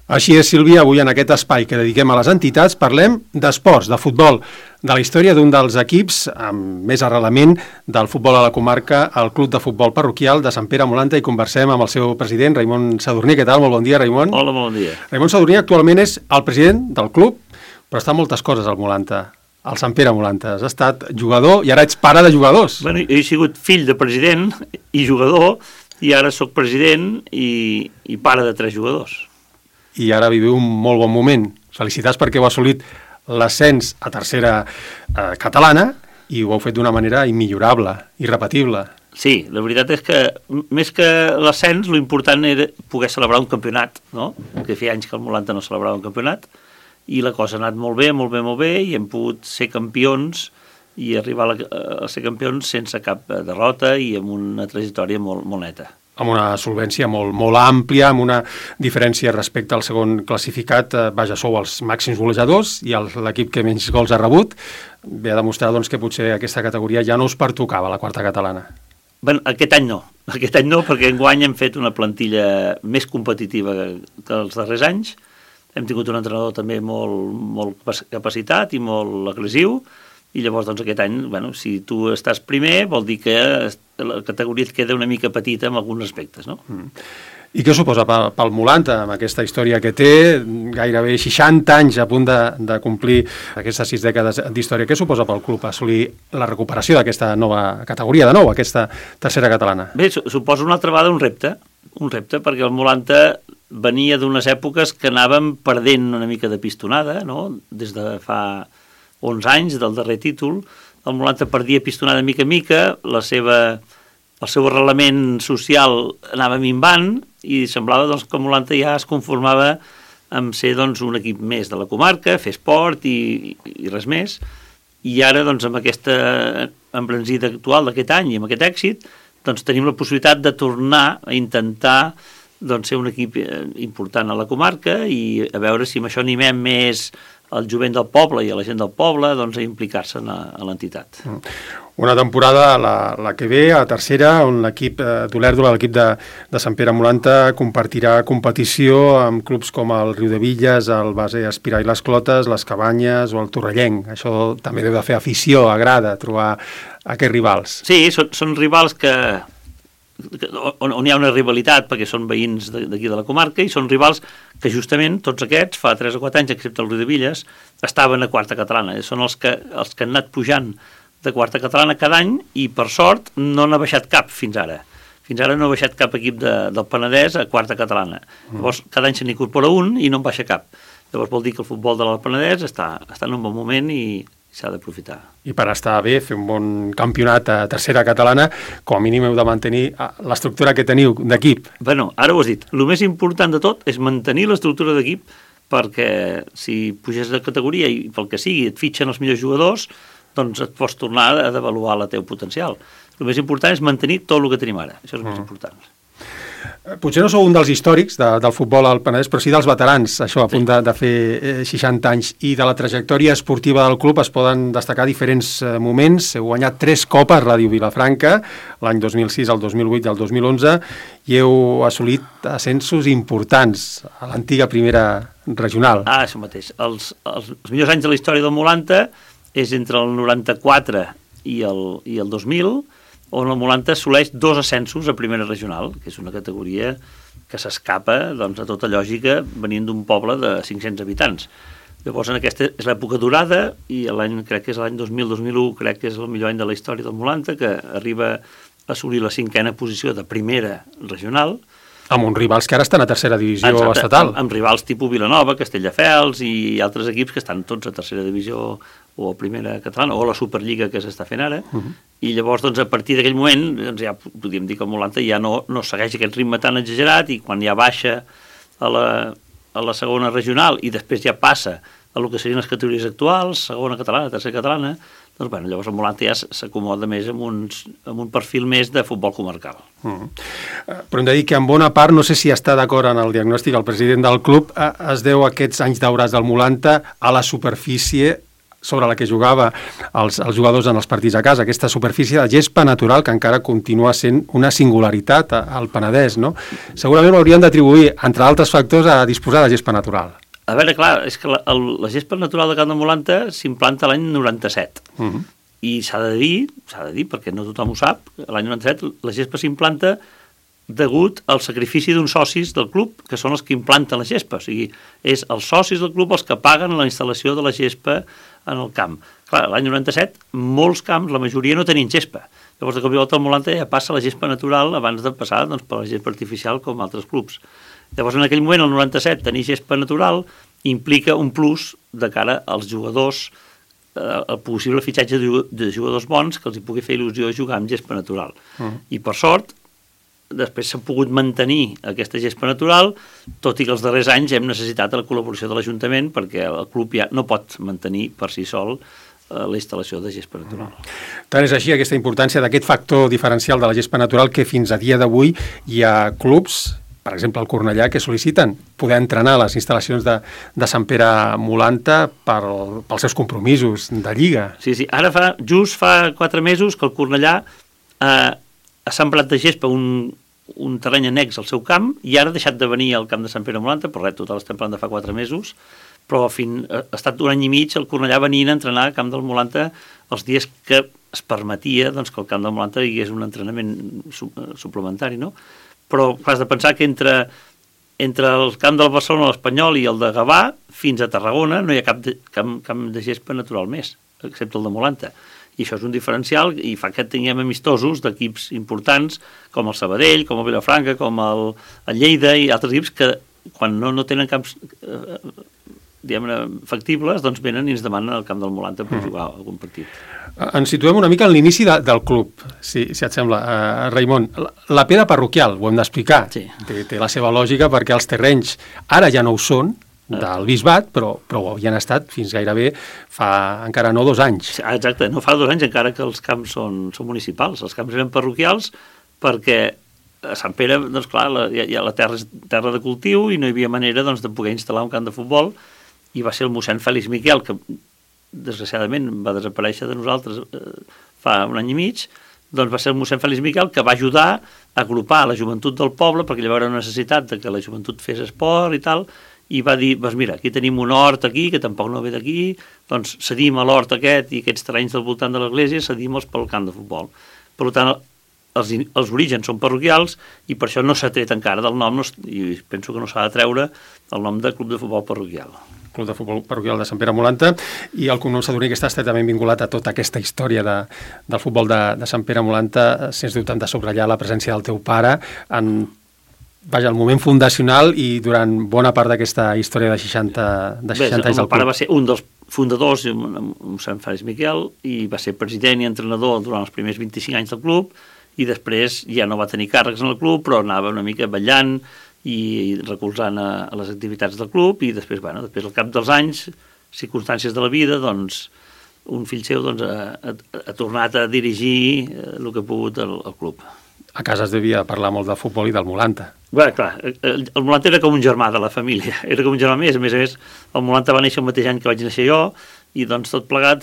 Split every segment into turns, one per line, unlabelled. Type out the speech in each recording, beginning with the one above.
Així és, Sílvia, avui en aquest espai que dediquem a les entitats parlem d'esports, de futbol, de la història d'un dels equips amb més arrelament del futbol a la comarca, el Club de Futbol Parroquial de Sant Pere Molanta, i conversem amb el seu president, Raimon Sadurní. Què tal? Molt bon dia, Raimon.
Hola, bon dia.
Raimon Sadurní actualment és el president del club, però està en moltes coses al Molanta, al Sant Pere Molanta. Has estat jugador i ara ets pare de jugadors.
Bueno, jo he sigut fill de president i jugador, i ara sóc president i pare de 3 jugadors.
I ara viviu un molt bon moment. Felicitats perquè heu assolit l'ascens a tercera catalana i ho heu fet d'una manera immillorable, irrepetible.
Sí, la veritat és que més que l'ascens, l'important era poder celebrar un campionat, no? Que feia anys que el Molanta no celebrava un campionat, i la cosa ha anat molt bé, molt bé, molt bé, i hem pogut ser campions i arribar a ser campions sense cap derrota i amb una trajectòria molt, molt neta.
Amb una solvència molt àmplia, amb una diferència respecte al segon classificat. Vaja, sou els màxims golejadors i l'equip que menys gols ha rebut. Ve a demostrar doncs, que potser aquesta categoria ja no us pertocava, la quarta catalana.
Bé, aquest any no, perquè enguany hem fet una plantilla més competitiva que els darrers anys. Hem tingut un entrenador també molt capacitat i molt agressiu, i llavors doncs, aquest any, bueno, si tu estàs primer, vol dir que la categoria et queda una mica petita en alguns aspectes, no?
I què suposa pel Molanta, amb aquesta història que té, gairebé 60 anys a punt de complir aquestes 6 dècades d'història? Què suposa pel club assolir la recuperació d'aquesta nova categoria, de nou, aquesta tercera catalana?
Bé, suposa una altra vegada un repte, perquè el Molanta venia d'unes èpoques que anàvem perdent una mica de pistonada, no? Des de fa 11 anys del darrer títol, el Molanta perdia pistonada mica en mica, el seu arrelament social anava minvant i semblava doncs, que el Molanta ja es conformava amb ser doncs, un equip més de la comarca, fer esport i res més. I ara, doncs, amb aquesta embranzida actual d'aquest any i amb aquest èxit, doncs, tenim la possibilitat de tornar a intentar doncs, ser un equip important a la comarca i a veure si amb això animem més al jovent del poble i a la gent del poble doncs, a implicar-se a l'entitat.
Una temporada, la que ve, a tercera, on l'equip d'Olèrdola, l'equip de Sant Pere Molanta, compartirà competició amb clubs com el Riudebitlles, el Base Espirar i les Clotes, les Cabanyes o el Torrellenc. Això també deu de fer afició, agrada, trobar aquests rivals.
Sí, són rivals on hi ha una rivalitat perquè són veïns d'aquí de la comarca i són rivals que justament tots aquests, fa 3 o 4 anys, excepte el Riudebitlles, estaven a quarta catalana. Són els que han anat pujant de quarta catalana cada any i, per sort, no n'ha baixat cap fins ara. Fins ara no ha baixat cap equip del Penedès a quarta catalana. Llavors, cada any se n'incorpora un i no en baixa cap. Llavors vol dir que el futbol de la Penedès està en un bon moment i s'ha d'aprofitar.
I per estar bé, fer un bon campionat a tercera catalana, com a mínim heu de mantenir l'estructura que teniu d'equip.
Bueno, ara ho has dit. El més important de tot és mantenir l'estructura d'equip perquè si puges de categoria i pel que sigui et fitxen els millors jugadors, doncs et pots tornar a devaluar el teu potencial. El més important és mantenir tot el que tenim ara. Això és el més important.
Potser no sou un dels històrics del futbol al Penedès, però sí dels veterans, això, a punt de fer 60 anys. I de la trajectòria esportiva del club es poden destacar diferents moments. Heu guanyat 3 copes Ràdio Vilafranca, l'any 2006, el 2008 i el 2011, i heu assolit ascensos importants a l'antiga primera regional.
Això mateix. Els millors anys de la història del Molanta és entre el 94 i el 2000, on el Molanta assoleix 2 ascensos a primera regional, que és una categoria que s'escapa doncs, a tota lògica venint d'un poble de 500 habitants. Llavors, aquesta és l'època dorada i crec que és l'any 2000-2001, crec que és el millor any de la història del Molanta, que arriba a assolir la 5a posició de primera regional.
Amb uns rivals que ara estan a tercera divisió estatal.
Amb rivals tipus Vilanova, Castelldefels i altres equips que estan tots a tercera divisió o a primera catalana, o a la Superliga que s'està fent ara, i llavors doncs, a partir d'aquell moment doncs, ja podríem dir que el Molanta ja no segueix aquest ritme tan exagerat i quan ja baixa a la segona regional i després ja passa a el que serien les categories actuals, segona catalana, tercera catalana, doncs bueno, llavors el Molanta ja s'acomoda més amb un perfil més de futbol comarcal.
Però hem de dir que en bona part, no sé si està d'acord en el diagnòstic el president del club, es deu a aquests anys daurats del Molanta a la superfície sobre la que jugava els jugadors en els partits a casa, aquesta superfície de gespa natural que encara continua sent una singularitat al Penedès, no? Segurament ho hauríem d'atribuir, entre altres factors, a disposar de gespa natural.
A veure, clar, és que la gespa natural de Camp de Molanta s'implanta l'any 97. I s'ha de dir, perquè no tothom ho sap, l'any 97 la gespa s'implanta degut al sacrifici d'uns socis del club, que són els que implanten la gespa. O sigui, és els socis del club els que paguen la instal·lació de la gespa en el camp. Clar, l'any 97, molts camps, la majoria no tenien gespa. Llavors, de cop i volta al Molanta ja passa la gespa natural abans de passar per la gespa artificial com altres clubs. Llavors, en aquell moment, el 97, tenir gespa natural implica un plus de cara als jugadors, el possible fitxatge de jugadors bons que els hi pugui fer il·lusió jugar amb gespa natural. I per sort, després s'ha pogut mantenir aquesta gespa natural, tot i que els darrers anys hem necessitat la col·laboració de l'Ajuntament perquè el club ja no pot mantenir per si sol la instal·lació de gespa natural.
Tant és així aquesta importància d'aquest factor diferencial de la gespa natural que fins a dia d'avui hi ha clubs, per exemple el Cornellà, que sol·liciten poder entrenar a les instal·lacions de Sant Pere Molanta pels seus compromisos de Lliga.
Sí, ara just fa 4 mesos que el Cornellà ha sembrat de gespa un terreny annex al seu camp i ara ha deixat de venir al camp de Sant Pere Molanta, però res, total estem parlant de fa 4 mesos, però ha estat un any i mig el Cornellà venint a entrenar al camp del Molanta els dies que es permetia que el camp del Molanta hi hagués un entrenament suplementari, no? Però has de pensar que entre el camp del Barcelona, l'Espanyol i el de Gavà, fins a Tarragona no hi ha cap de gespa natural més, excepte el de Molanta. I això és un diferencial i fa que tinguem amistosos d'equips importants com el Sabadell, com el Vilafranca, com el Lleida i altres equips que quan no tenen camps factibles, doncs venen i ens demanen al camp del Molanta per jugar algun partit.
Ens situem una mica en l'inici del club, si et sembla, Raimon. La pedra parroquial, ho hem d'explicar,
sí.
Té la seva lògica perquè els terrenys ara ja no ho són, del bisbat, però ho havien estat fins gairebé fa encara no 2 anys.
Exacte, no fa 2 anys encara que els camps són municipals. Els camps eren parroquials perquè a Sant Pere, doncs clar, la terra és terra de cultiu i no hi havia manera de poder instal·lar un camp de futbol i va ser el mossèn Fèlix Miquel, que desgraciadament va desaparèixer de nosaltres fa un any i mig, doncs va ser el mossèn Fèlix Miquel que va ajudar a agrupar la joventut del poble perquè llavors era una necessitat de que la joventut fes esport i tal, i va dir, doncs mira, aquí tenim un hort aquí, que tampoc no ve d'aquí, doncs cedim a l'hort aquest i aquests terrenys del voltant de l'església, cedim-los pel camp de futbol. Per tant, els orígens són parroquials i per això no s'ha tret encara del nom, i penso que no s'ha de treure el nom de Club de Futbol Parroquial.
Club de Futbol Parroquial de Sant Pere Molanta, i el cognom Sadurní, que està estretament vinculat a tota aquesta història del futbol de Sant Pere Molanta. Sens dubte hem de subratllar la presència del teu pare en el moment fundacional i durant bona part d'aquesta història de 60 anys del club. El meu
pare va ser un dels fundadors, mossèn Fèlix Miquel, i va ser president i entrenador durant els primers 25 anys del club, i després ja no va tenir càrrecs en el club, però anava una mica ballant i recolzant a les activitats del club, i després al cap dels anys, circumstàncies de la vida, doncs, un fill seu ha tornat a dirigir el que ha pogut el club.
A casa es devia parlar molt de futbol i del Molanta.
Bé, clar, el Molanta era com un germà de la família, era com un germà més. A més, el Molanta va néixer el mateix any que vaig néixer jo, i doncs tot plegat,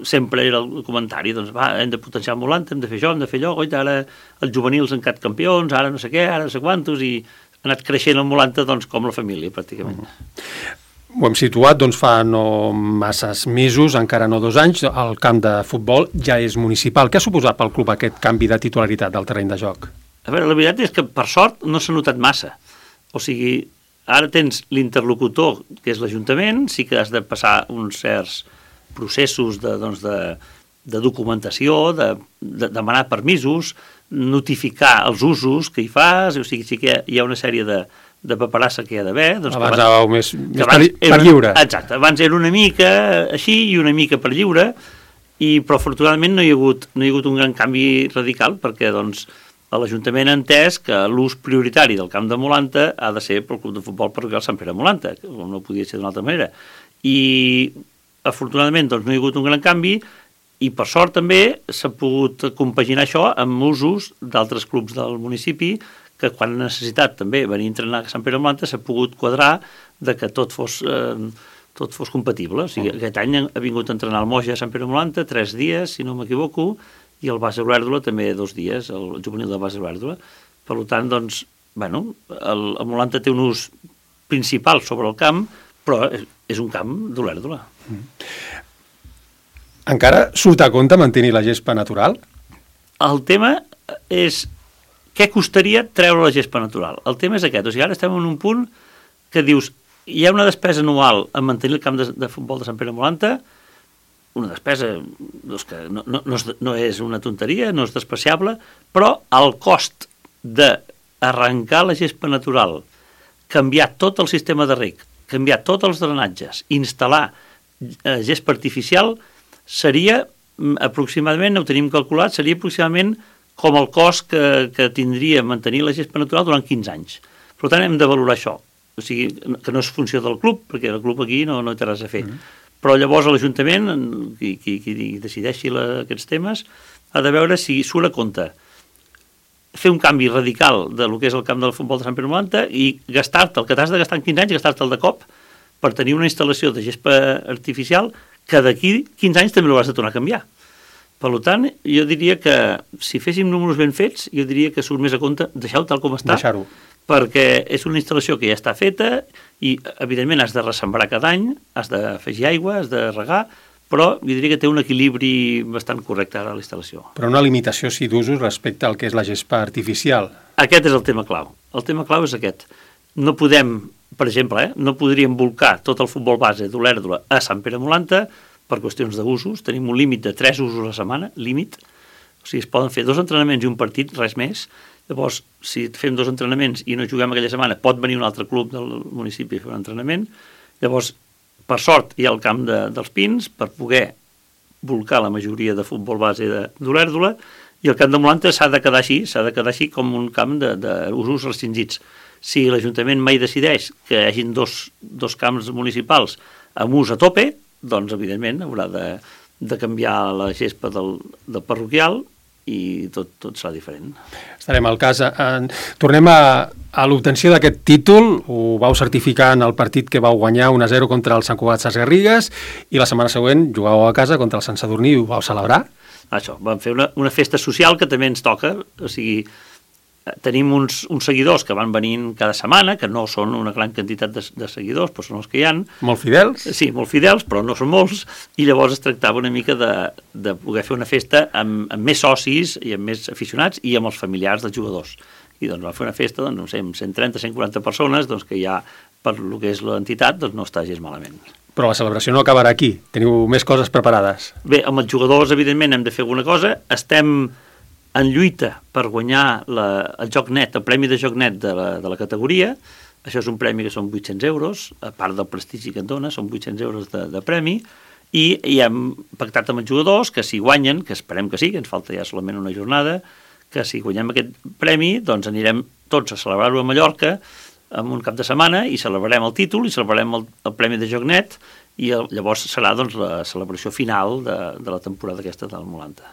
sempre era el comentari, doncs hem de potenciar el Molanta, hem de fer això, hem de fer allò, goita, ara els juvenils han quedat campions, ara no sé què, ara no sé quantos, i ha anat creixent el Molanta com la família, pràcticament.
Ho hem situat fa no masses mesos, encara no 2 anys, el camp de futbol ja és municipal. Què ha suposat pel club aquest canvi de titularitat del terreny de joc?
A veure, la veritat és que per sort no s'ha notat massa. O sigui, ara tens l'interlocutor, que és l'Ajuntament, sí que has de passar uns certs processos de documentació, de demanar permisos, notificar els usos que hi fas, o sigui, sí que hi ha una sèrie de paperassa que hi ha d'haver.
Abans anàveu més per lliure.
Exacte, abans era una mica així i una mica per lliure, però afortunadament no hi ha hagut un gran canvi radical perquè l'Ajuntament ha entès que l'ús prioritari del camp de Molanta ha de ser pel Club de Futbol Parroquial Sant Pere Molanta, que no podia ser d'una altra manera. I afortunadament no hi ha hagut un gran canvi i per sort també s'ha pogut compaginar això amb usos d'altres clubs del municipi que quan ha necessitat també venir a entrenar a Sant Pere Molanta s'ha pogut quadrar de que tot tot fos compatible. O sigui, aquest any ha vingut a entrenar el Moja a Sant Pere Molanta 3 dies, si no m'equivoco, i el Base Olèrdola també 2 dies, el juvenil del Base Olèrdola. Per tant, doncs, bueno, el Molanta té un ús principal sobre el camp, però és un camp d'Olèrdola.
Encara surt a compte mantenir la gespa natural?
El tema és què costaria treure la gespa natural. El tema és aquest. O sigui, ara estem en un punt que dius, hi ha una despesa anual en mantenir el camp de futbol de Sant Pere Molanta, una despesa doncs, que no és una tonteria, no és despreciable, però el cost d'arrencar la gespa natural, canviar tot el sistema de reg, canviar tots els drenatges, instal·lar gespa artificial, seria aproximadament, ho tenim calculat, seria aproximadament com el cost que tindria mantenir la gespa natural durant 15 anys. Per tant, hem de valorar això. O sigui, que no és funció del club, perquè el club aquí no té res a fer. Però llavors l'Ajuntament, qui decideixi aquests temes, ha de veure si surt a compte fer un canvi radical del que és el camp del futbol de Sant Pere Molanta i gastar-te el que t'has de gastar en 15 anys, gastar-te'l de cop per tenir una instal·lació de gespa artificial que d'aquí 15 anys també l'hauràs de tornar a canviar. Per tant, jo diria que si féssim números ben fets, jo diria que surt més a compte deixar-ho tal com està, perquè és una instal·lació que ja està feta i, evidentment, has de ressembrar cada any, has d'afegir aigua, has de regar, però jo diria que té un equilibri bastant correcte ara a la instal·lació.
Però una limitació, sí, d'usos respecte al que és la gespa artificial.
Aquest és el tema clau. El tema clau és aquest. No podem, per exemple, no podríem volcar tot el futbol base d'Olèrdola a Sant Pere Molanta per qüestions d'usos. Tenim un límit de 3 usos a la setmana, límit. O sigui, es poden fer 2 entrenaments i un partit, res més. Llavors, si fem 2 entrenaments i no juguem aquella setmana, pot venir un altre club del municipi a fer un entrenament. Llavors, per sort, hi ha el camp dels Pins per poder volcar la majoria de futbol base d'Olèrdola i el camp de Molanta s'ha de quedar així com un camp d'usos restringits. Si l'Ajuntament mai decideix que hi hagin dos camps municipals amb ús a tope, doncs, evidentment, haurà de canviar la gespa del parroquial i tot serà diferent.
Estarem al cas. Tornem a l'obtenció d'aquest títol. Ho vau certificar en el partit que vau guanyar 1-0 contra el Sant Cugat Sesgarrigues i la setmana següent jugàveu a casa contra el Sant Sadurní i ho vau celebrar?
Això, vam fer una festa social que també ens toca. O sigui, tenim uns seguidors que van venint cada setmana, que no són una gran quantitat de seguidors, però són els que hi ha.
Molt fidels?
Sí, molt fidels, però no són molts, i llavors es tractava una mica de poder fer una festa amb més socis i amb més aficionats i amb els familiars dels jugadors. I doncs va fer una festa, doncs, no sé, amb 130, 140 persones, doncs que ja, per lo que és l'entitat, doncs no està gens malament.
Però la celebració no acabarà aquí, teniu més coses preparades.
Bé, amb els jugadors, evidentment, hem de fer alguna cosa. Estem en lluita per guanyar el Joc Net, el Premi de Joc Net de la categoria. Això és un premi que són 800 euros, a part del prestigi que et dona, són 800 euros de premi, i hem pactat amb els jugadors que si guanyen, que esperem que sí, que ens falta ja solament una jornada, que si guanyem aquest premi, doncs anirem tots a celebrar-ho a Mallorca en un cap de setmana i celebrarem el títol i celebrarem el Premi de Joc Net i llavors serà doncs, la celebració final de la temporada aquesta del Molanta.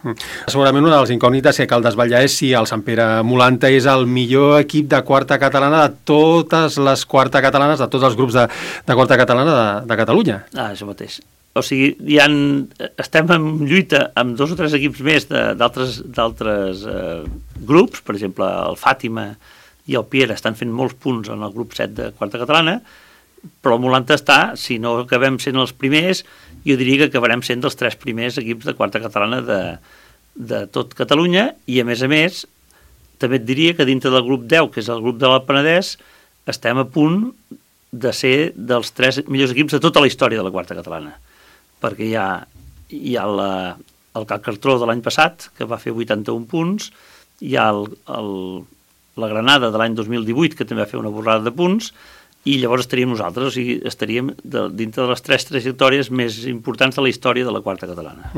Segurament una de les incògnites que cal desvetllar és si el Sant Pere Molanta és el millor equip de quarta catalana de totes les quarta catalanes, de tots els grups de quarta catalana de Catalunya.
Això mateix. O sigui, estem en lluita amb 2 o 3 equips més d'altres grups, per exemple, el Fàtima i el Piera estan fent molts punts en el grup 7 de quarta catalana, però el Molanta està, si no acabem sent els primers, jo diria que acabarem sent dels 3 primers equips de quarta catalana de tot Catalunya, i a més, també et diria que dintre del grup 10, que és el grup de l'Alt Penedès, estem a punt de ser dels 3 millors equips de tota la història de la quarta catalana, perquè hi ha el Cal Cartró de l'any passat, que va fer 81 punts, hi ha la Granada de l'any 2018, que també va fer una borrada de punts, i llavors estaríem nosaltres, o sigui, estaríem dintre de les 3 trajectòries més importants de la història de la quarta catalana.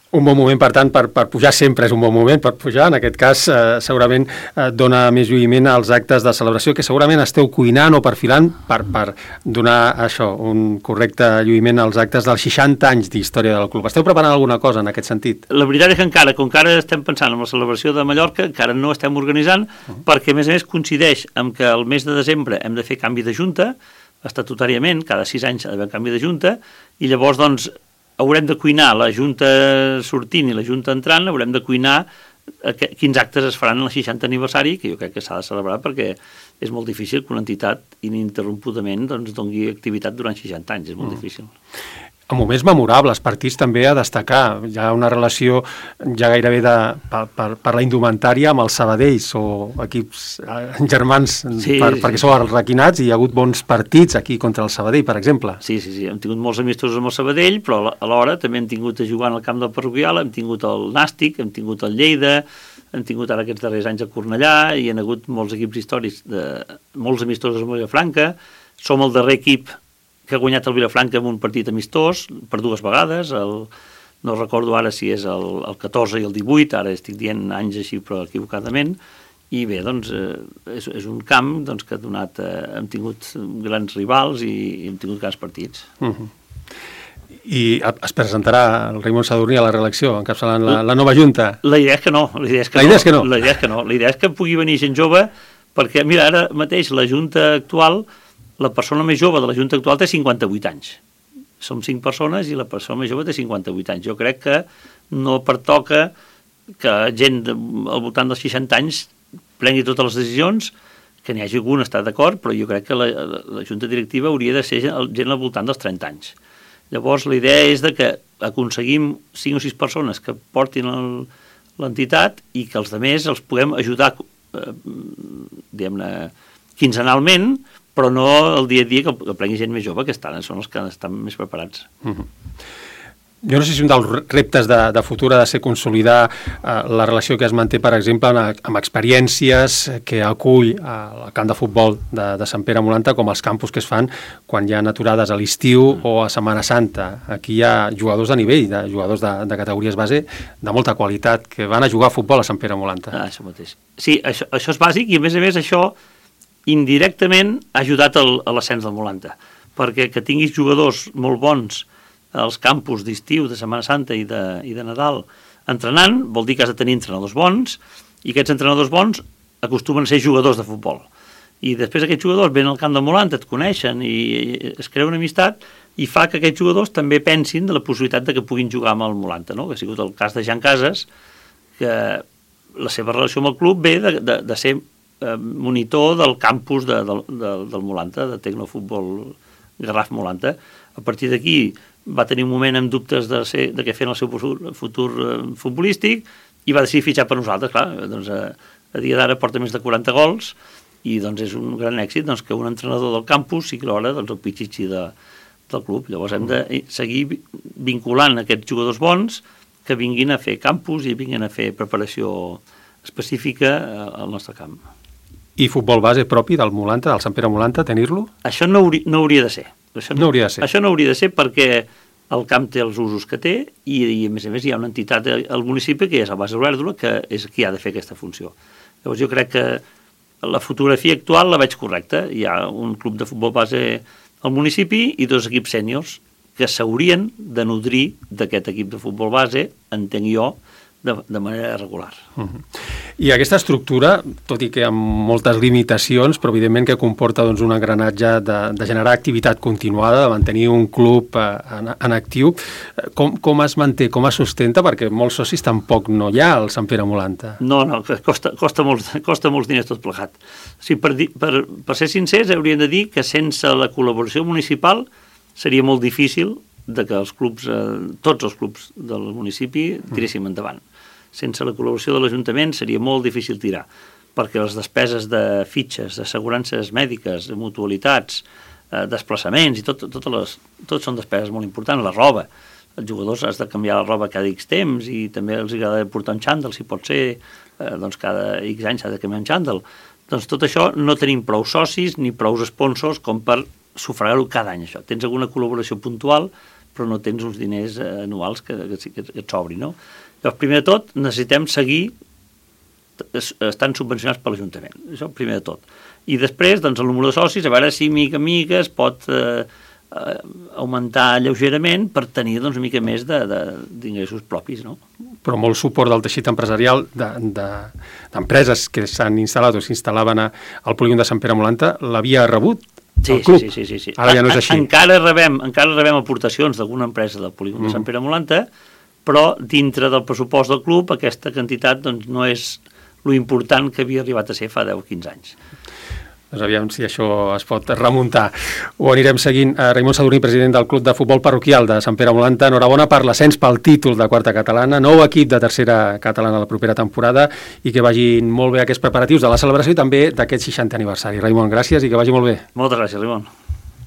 Un bon moment, per tant, per pujar sempre és un bon moment per pujar. En aquest cas, segurament dona més lluïment als actes de celebració que segurament esteu cuinant o perfilant per donar això, un correcte lluïment als actes dels 60 anys d'història del club. Esteu preparant alguna cosa en aquest sentit?
La veritat és que encara, com que ara estem pensant en la celebració de Mallorca, encara no estem organitzant, perquè a més coincideix amb que el mes de desembre hem de fer canvi de junta. estatutàriament, cada 6 anys ha d'haver canvi de junta, i llavors doncs haurem de cuinar la junta sortint i la junta entrant, haurem de cuinar quins actes es faran en el 60 aniversari, que jo crec que s'ha de celebrar perquè és molt difícil que una entitat ininterrompudament doncs, doni activitat durant 60 anys, és molt difícil.
En moments memorables, partits també a destacar. Hi ha una relació ja gairebé per la indumentària amb els Sabadells o equips germans, perquè sou arraquinats i hi ha hagut bons partits aquí contra el Sabadell, per exemple.
Sí, hem tingut molts amistosos amb el Sabadell, però alhora també hem tingut a jugar en el camp del Parroquial, hem tingut el Nàstic, hem tingut el Lleida, hem tingut ara aquests darrers anys a Cornellà, i hi ha hagut molts equips històrics, molts amistosos amb Vilafranca. Som el darrer equip que ha guanyat el Vilafranca en un partit amistós per 2 vegades, no recordo ara si és el 14 i el 18, ara estic dient anys així però equivocadament, i bé, doncs és un camp doncs, que ha donat, hem tingut grans rivals i hem tingut grans partits.
I es presentarà el Raimon Sadurní a la reelecció, encapçalant la nova Junta?
La idea és que no. La idea és que pugui venir gent jove, perquè mira, ara mateix la Junta actual, la persona més jove de la Junta actual té 58 anys. Som 5 persones i la persona més jove té 58 anys. Jo crec que no pertoca que gent al voltant dels 60 anys prengui totes les decisions, que n'hi hagi algun està d'acord, però jo crec que la Junta Directiva hauria de ser gent al voltant dels 30 anys. Llavors la idea és que aconseguim 5 o 6 persones que portin l'entitat i que els altres els puguem ajudar diguem-ne quinzenalment, però no el dia a dia que prengui gent més jove, que són els que estan més preparats.
Jo no sé si un dels reptes de futur ha de ser consolidar la relació que es manté, per exemple, amb experiències que acull el camp de futbol de Sant Pere Molanta, com els campus que es fan quan hi ha aturades a l'estiu o a Setmana Santa. Aquí hi ha jugadors de nivell, jugadors de categories base de molta qualitat, que van a jugar a futbol a Sant Pere Molanta.
Això mateix. Sí, això és bàsic i a més això indirectament ha ajudat a l'ascens del Molanta, perquè que tinguis jugadors molt bons als campus d'estiu, de Setmana Santa i de Nadal entrenant, vol dir que has de tenir entrenadors bons, i aquests entrenadors bons acostumen a ser jugadors de futbol. I després aquests jugadors venen al camp del Molanta, et coneixen i es crea una amistat i fa que aquests jugadors també pensin de la possibilitat de que puguin jugar amb el Molanta, no? Que ha sigut el cas de Jan Casas, que la seva relació amb el club ve de ser monitor del campus del Molanta, de Tecnofutbol Garraf Molanta. A partir d'aquí va tenir un moment amb dubtes de què fer en el seu futur futbolístic i va decidir fitxar per nosaltres. Clar, doncs, a dia d'ara porta més de 40 gols i doncs, és un gran èxit doncs, que un entrenador del campus sigui alhora doncs, el pitxitxi del club. Llavors hem de seguir vinculant aquests jugadors bons que vinguin a fer campus i vinguin a fer preparació específica al nostre camp.
I futbol base propi del Molanta, del Sant Pere Molanta, tenir-lo?
Això no hauria de ser.
Això no hauria
de ser perquè el camp té els usos que té i a més hi ha una entitat al municipi que és el Base Olèrdola, que és qui ha de fer aquesta funció. Llavors jo crec que la fotografia actual la veig correcta. Hi ha un club de futbol base al municipi i 2 equips sèniors que s'haurien de nodrir d'aquest equip de futbol base, entenc jo, de manera regular.
I aquesta estructura, tot i que amb moltes limitacions, però evidentment que comporta doncs, un engranatge de generar activitat continuada, de mantenir un club en actiu, com es manté, com es sustenta? Perquè molts socis tampoc no hi ha al Sant Pere Molanta.
No, costa molts diners tot plegat. O sigui, per ser sincers, hauríem de dir que sense la col·laboració municipal seria molt difícil de que els clubs, tots els clubs del municipi tiréssim endavant. Sense la col·laboració de l'Ajuntament seria molt difícil tirar, perquè les despeses de fitxes, d'assegurances mèdiques, de mutualitats, desplaçaments, i tot són despeses molt importants, la roba. Els jugadors has de canviar la roba cada X temps i també els agrada portar un xàndol, si pot ser, doncs cada X anys s'ha de canviar un xàndol. Doncs tot això no tenim prou socis ni prou sponsors com per sufragar-ho cada any, això. Tens alguna col·laboració puntual, però no tens uns diners anuals que et sobri, no? Llavors, primer de tot, necessitem seguir estant subvencionats per l'Ajuntament. Això primer de tot. I després, doncs, el número de socis, a veure si mica en mica es pot augmentar lleugerament per tenir doncs, una mica més d'ingressos propis, no?
Però molt suport del teixit empresarial d'empreses que s'han instal·lat o s'instal·laven al polígon de Sant Pere Molanta l'havia rebut del club.
Sí.
Ara ja no és així.
Encara rebem aportacions d'alguna empresa del polígon de Sant Pere Molanta, però dintre del pressupost del club aquesta quantitat doncs, no és lo important que havia arribat a ser fa 10 o 15 anys.
Doncs aviam si això es pot remuntar. Ho anirem seguint. Raimon Sadurní, president del Club de Futbol Parroquial de Sant Pere Molanta, enhorabona per l'ascens pel títol de quarta catalana, nou equip de tercera catalana la propera temporada i que vagin molt bé aquests preparatius de la celebració i també d'aquest 60è aniversari. Raimon, gràcies i que vagi molt bé.
Moltes gràcies, Raimon.